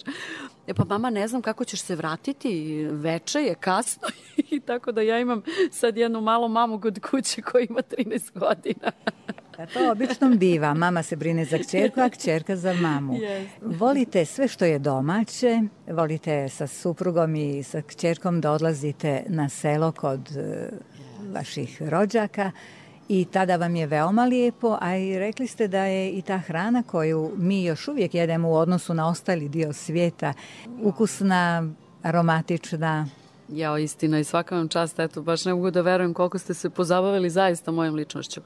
Speaker 2: E pa mama, ne znam kako ćeš se vratiti, veče je, kasno. I tako da ja imam sad jednu malu mamu kod kuće koja ima trinaest godina.
Speaker 1: A to obično biva, mama se brine za kćerku, a kćerka za mamu.
Speaker 2: Yes.
Speaker 1: Volite sve što je domaće, volite sa suprugom i sa kćerkom da odlazite na selo kod uh, vaših rođaka, i tada vam je veoma lijepo, a i rekli ste da je i ta hrana koju mi još uvijek jedemo u odnosu na ostali dio svijeta ukusna, aromatična.
Speaker 2: Jao, istina, i svaka vam čast, eto, baš ne mogu da verujem koliko ste se pozabavili zaista mojom ličnošću.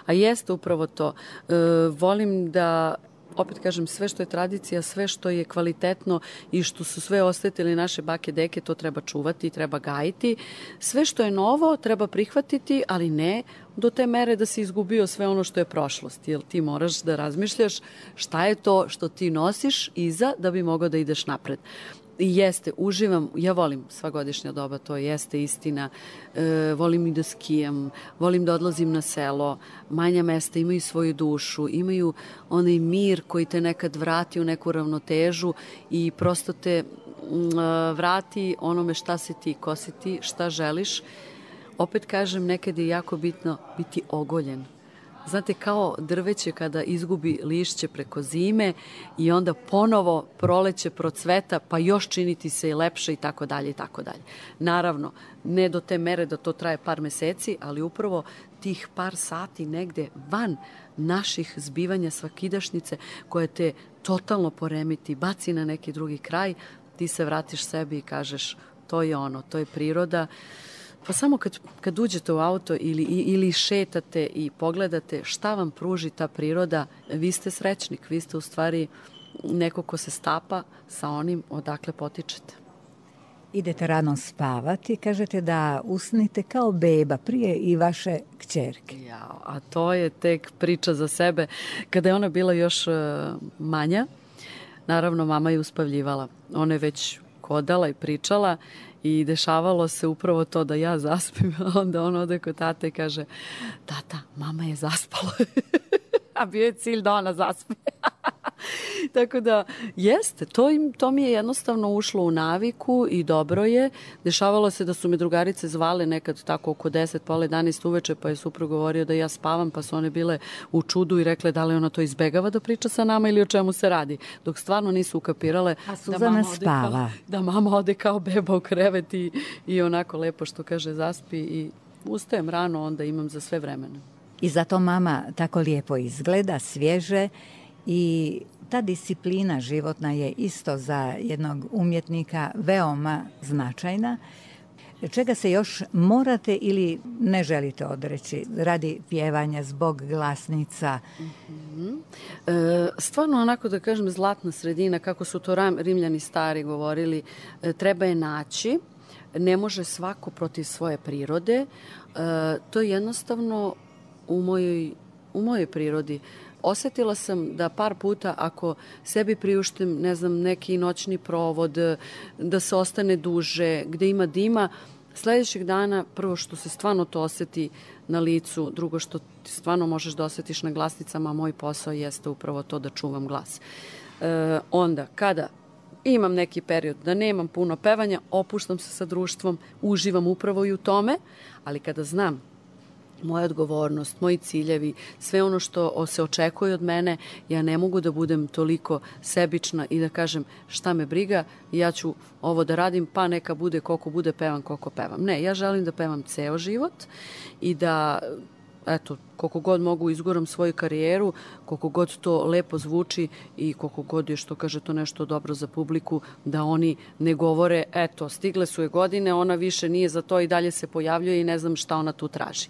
Speaker 2: A jeste upravo to. E, volim da, opet kažem, sve što je tradicija, sve što je kvalitetno i što su sve osetili naše bake, deke, to treba čuvati, treba gajiti. Sve što je novo treba prihvatiti, ali ne do te mere da si izgubio sve ono što je prošlost. Jer ti moraš da razmišljaš šta je to što ti nosiš iza da bi mogao da ideš napred. I jeste, uživam, ja volim sva godišnja doba, to jeste istina, e, volim i da skijam, volim da odlazim na selo, manja mesta imaju svoju dušu, imaju onaj mir koji te nekad vrati u neku ravnotežu i prosto te m, vrati onome šta si ti, ko si ti, šta želiš. Opet kažem, nekad je jako bitno biti ogoljen. Znate, kao drveće kada izgubi lišće preko zime i onda ponovo proleće procveta, pa još činiti se i lepše i tako dalje i tako dalje. Naravno, ne do te mere da to traje par meseci, ali upravo tih par sati negde van naših zbivanja svakidašnjice koje te totalno poremiti, baci na neki drugi kraj, ti se vratiš sebi i kažeš to je ono, to je priroda. Pa samo kad, kad uđete u auto ili, ili šetate i pogledate šta vam pruži ta priroda, vi ste srećnik, vi ste u stvari neko ko se stapa sa onim odakle potičete.
Speaker 1: Idete rano spavati, kažete da usnite kao beba prije i vaše kćerke.
Speaker 2: Ja, a to je tek priča za sebe. Kada je ona bila još uh, manja, naravno mama je uspavljivala. Ona je već hodala i pričala i dešavalo se upravo to da ja zaspim, a onda on ode kod tate i kaže, tata, mama je zaspala. A bio je cilj da ona zaspe. Tako da, jeste, to, im, to mi je jednostavno ušlo u naviku i dobro je. Dešavalo se da su me drugarice zvale nekad tako oko deset, pola jedanaest uveče, pa je suprug govorio da ja spavam, pa su one bile u čudu i rekle da li ona to izbegava da priča sa nama ili o čemu se radi. Dok stvarno nisu ukapirale
Speaker 1: da mama, spava.
Speaker 2: Kao, da mama ode kao beba u krevet i, i onako lepo što kaže zaspi i ustajem rano, onda imam za sve vremena.
Speaker 1: I zato mama tako lijepo izgleda, svježe, i ta disciplina životna je isto za jednog umjetnika veoma značajna. Čega se još morate ili ne želite odreći radi pjevanja, zbog glasnica?
Speaker 2: Mm-hmm. E, stvarno, onako da kažem, zlatna sredina, kako su to Rimljani stari govorili, e, treba je naći. Ne može svako protiv svoje prirode. E, to je jednostavno u mojoj, u mojoj prirodi. Osetila sam da par puta ako sebi priuštim, ne znam, neki noćni provod, da se ostane duže, gde ima dima, sledećeg dana prvo što se stvarno to oseti na licu, drugo što ti stvarno možeš da osetiš na glasnicama, a moj posao jeste upravo to da čuvam glas. E, onda, kada imam neki period da nemam puno pevanja, opuštam se sa društvom, uživam upravo i u tome, ali kada znam moja odgovornost, moji ciljevi, sve ono što se očekuje od mene, ja ne mogu da budem toliko sebična i da kažem šta me briga, ja ću ovo da radim, pa neka bude koliko bude pevam, koliko pevam. Ne, ja želim da pevam ceo život i da eto, koliko god mogu izguram svoju karijeru, koliko god to lepo zvuči i koliko god je, što kaže, to nešto dobro za publiku, da oni ne govore, eto, stigle su je godine, ona više nije za to i dalje se pojavljuje i ne znam šta ona tu traži.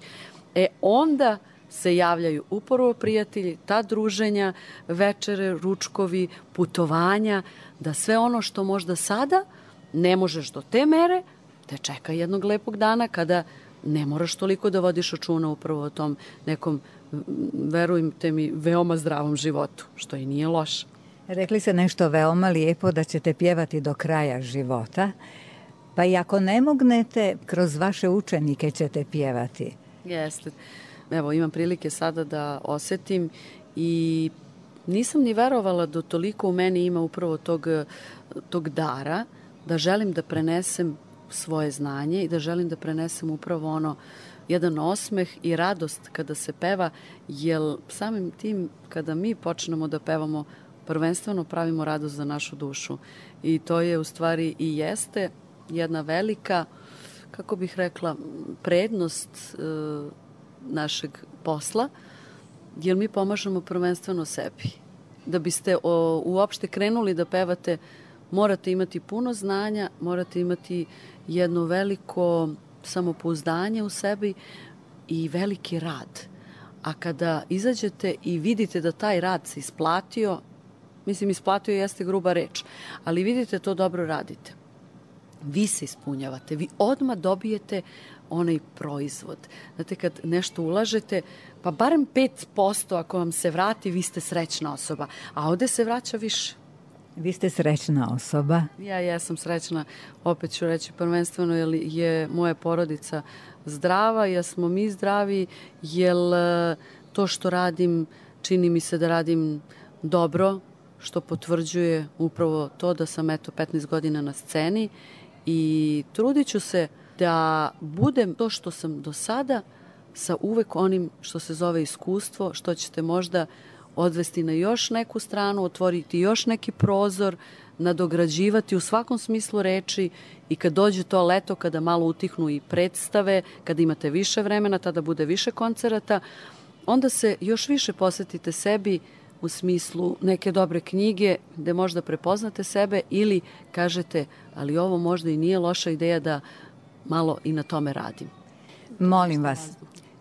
Speaker 2: E, onda se javljaju upravo prijatelji, ta druženja, večere, ručkovi, putovanja, da sve ono što možda sada ne možeš do te mere, te čeka jednog lepog dana kada ne moraš toliko da vodiš računa upravo o tom nekom, verujte mi, veoma zdravom životu, što i nije loše.
Speaker 1: Rekli ste nešto veoma lijepo, da ćete pjevati do kraja života, pa i ako ne mognete, kroz vaše učenike ćete pjevati.
Speaker 2: Jeste. Evo, imam prilike sada da osetim i nisam ni verovala da toliko u meni ima upravo tog, tog dara, da želim da prenesem svoje znanje i da želim da prenesem upravo ono, jedan osmeh i radost kada se peva, jer samim tim kada mi počnemo da pevamo, prvenstveno pravimo radost za našu dušu. I to je u stvari i jeste jedna velika, kako bih rekla, prednost e, našeg posla, jer mi pomažemo prvenstveno sebi. Da biste o, uopšte krenuli da pevate, morate imati puno znanja, morate imati jedno veliko samopouzdanje u sebi i veliki rad. A kada izađete i vidite da taj rad se isplatio, mislim, isplatio jeste gruba reč, ali vidite to dobro radite. Vi se ispunjavate, vi odmah dobijete onaj proizvod. Znate, kad nešto ulažete, pa barem pet posto ako vam se vrati, vi ste srećna osoba, a ovde se vraća više.
Speaker 1: Vi ste srećna osoba.
Speaker 2: Ja jesam srećna, opet ću reći prvenstveno, jer je moja porodica zdrava, jer smo mi zdravi, jer to što radim, čini mi se da radim dobro, što potvrđuje upravo to da sam eto petnaest godina na sceni i trudit ću se da budem to što sam do sada sa uvek onim što se zove iskustvo, što ćete možda odvesti na još neku stranu, otvoriti još neki prozor, nadograđivati u svakom smislu reči i kad dođe to leto, kada malo utihnu i predstave, kada imate više vremena, tada bude više koncerata, onda se još više posvetite sebi u smislu neke dobre knjige gde možda prepoznate sebe ili kažete, ali ovo možda i nije loša ideja da malo i na tome radim.
Speaker 1: Molim vas,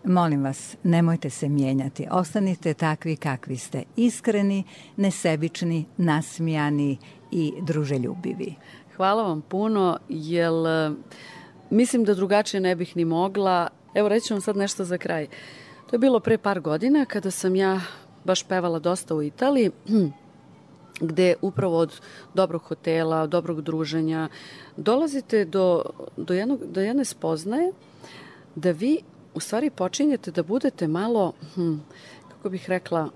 Speaker 1: molim vas, nemojte se mijenjati. Ostanite takvi kakvi ste. Iskreni, nesebični, nasmijani i druželjubivi.
Speaker 2: Hvala vam puno, jer mislim da drugačije ne bih ni mogla. Evo, reći vam sad nešto za kraj. To je bilo pre par godina kada sam ja baš pevala dosta u Italiji, gde upravo od dobrog hotela, dobrog druženja, dolazite do, do, jednog, do jedne spoznaje da vi u stvari počinjete da budete malo, hm, kako bih rekla,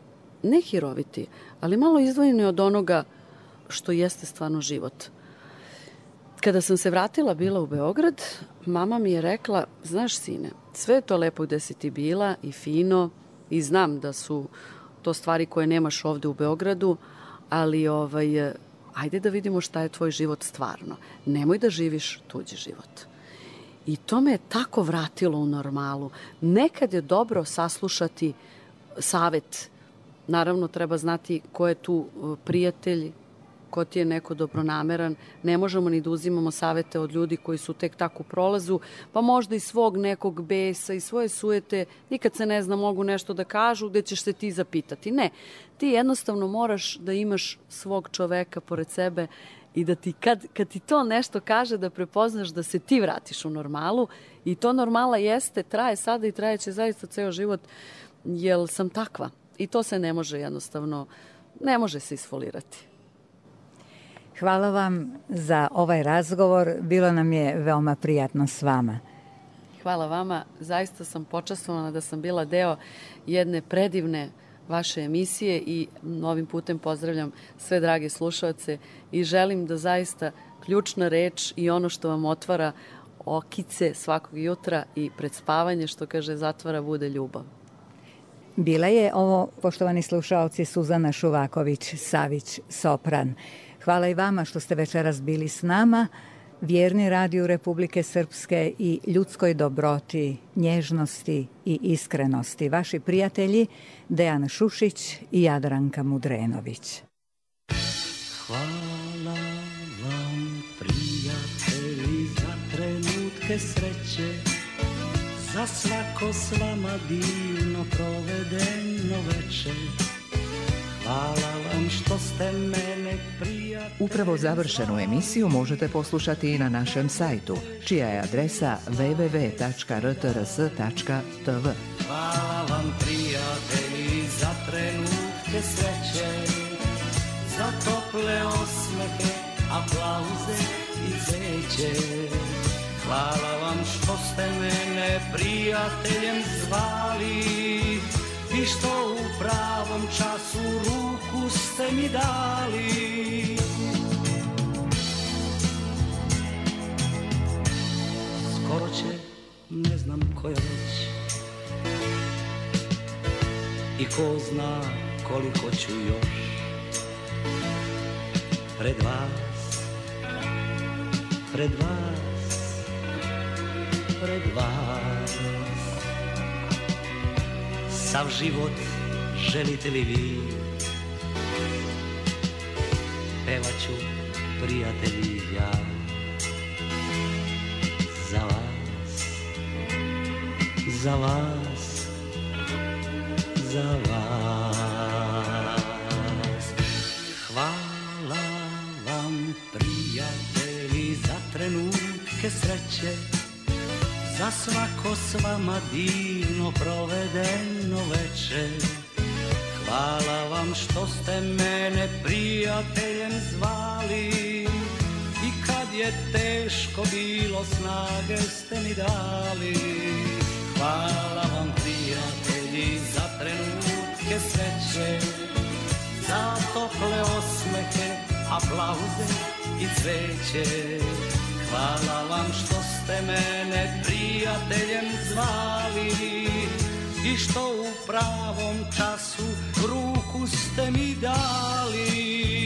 Speaker 2: ne hiroviti, ali malo izdvojeni od onoga što jeste stvarno život. Kada sam se vratila bila u Beograd, mama mi je rekla, znaš sine, sve je to lepo gde si ti bila i fino i znam da su to stvari koje nemaš ovde u Beogradu, ali ovaj, ajde da vidimo šta je tvoj život stvarno. Nemoj da živiš tuđi život. I to me je tako vratilo u normalu. Nekad je dobro saslušati savet. Naravno, treba znati ko je tu prijatelj, ko ti je neko dobronameran. Ne možemo ni da uzimamo savete od ljudi koji su tek tako u prolazu, pa možda i svog nekog besa i svoje sujete, nikad se ne zna, mogu nešto da kažu gde ćeš se ti zapitati. Ne, ti jednostavno moraš da imaš svog čoveka pored sebe i da ti kad, kad ti to nešto kaže da prepoznaš da se ti vratiš u normalu i to normala jeste, traje sada i trajeće zaista ceo život, jer sam takva i to se ne može jednostavno, ne može se isfolirati.
Speaker 1: Hvala vam za ovaj razgovor, bilo nam je veoma prijatno s vama.
Speaker 2: Hvala vama, zaista sam počastvovana da sam bila deo jedne predivne vaše emisije i ovim putem pozdravljam sve drage slušaoce i želim da zaista ključna reč i ono što vam otvara okice svakog jutra i pred spavanje, što kaže zatvara, bude ljubav.
Speaker 1: Bila je ovo, poštovani slušaoci, Suzana Šuvaković-Savić, sopran. Hvala i vama što ste večeras bili s nama. vjerni radiju Republike Srpske i ljudskoj dobroti, nježnosti i iskrenosti. Vaši prijatelji Dejan Šušić i Jadranka Mudrenović.
Speaker 4: Hvala vam, prijatelji, za trenutke sreće, za svako s vama divno provedeno veče. Hvala vam što ste mene prijatelji.
Speaker 5: Upravo završenu emisiju možete poslušati i na našem sajtu, čija je adresa w w w tačka r t r s tačka t v.
Speaker 4: Hvala vam, prijatelji, za trenutke sreće, za tople osmehe, aplauze i cveće. Hvala vam što ste mene prijateljem zvali i što u pravom času ruku ste mi dali. Skoro će, ne znam koja već, i ko zna koliko ću još pred vas, pred vas, pred vas. Sav život želite li vi, pevat ću, prijatelji, ja za vas, za vas, za vas. Hvala vam, prijatelji, za trenutke sreće, za svako s vama divno provedeno veče. Hvala vam što ste mene prijateljem zvali i kad je teško bilo snage ste mi dali. Hvala vam, prijatelji, za trenutke sreće, za tople osmehe, aplauze i cveće. Hvala vam što ste mene prijateljem zvali i što u pravom času ruku ste mi dali.